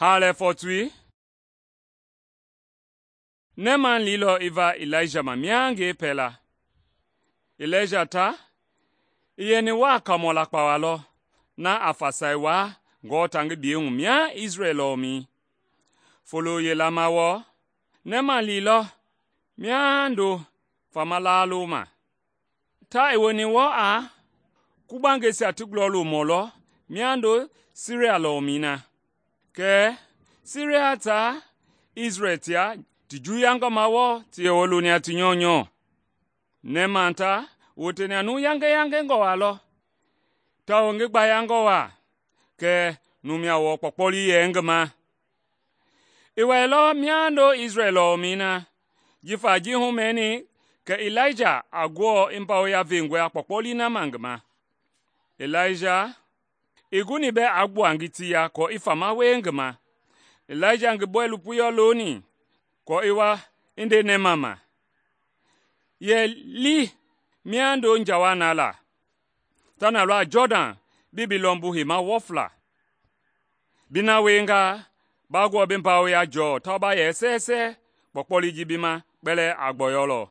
Haalɛ fɔtui, Neeman liilɔ i va Ilaija ma mihangɛi pɛla. Ilaija ta i yɛni waa kaamɔ lakpawa lɔ na a fasai waa Ngewɔ ta ngi biyɛi hu mia Isrɛl lɔɔmɛi. Folo yila ma wɔɔ, Neeman liilɔ mihando fama laaloma. Ta i woni wɔɔ a kugbangɛisia ti gulɔlomɔ lɔ mihando Siria lɔɔmɛi na. Kɛɛ Siria taa Isrɛl tia ti juuyangɔma wɔɔ ti yɛ wɔɔ loni a ti nyɔunyɔ. Neeman ta woteni a numu yangeyangengɔ waa lɔ, tawao ngi gbayangɔ waa, kɛɛ numia wɔɔ kpɔkpɔli yɛ ngi ma. I wɛilɔ mihando Isrɛl lɔɔmɛi na, jifa ji humɛni kɛ Ilaija a Ngewɔ i mbawoya vengɔe a kpɔkpɔli na ma ngi ma. Ilaija i guni bɛɛ aa gbua ngitiya aako i fama wie ngi ma. Ilaija ngi bɔilopoi loni aako i wa i nde Neeman ma yɛ li mihando njawa na la, ta na lɔ a Jɔdan bii bi lɔmbu heima wɔfla. Bi na wienga, ba Ngewɔ bi mbawoya jɔɔ tawao ba yɛ sɛɛsɛ, kpɔkpɔli ji bi ma kpɛlɛɛ a gbɔyɔlɔ.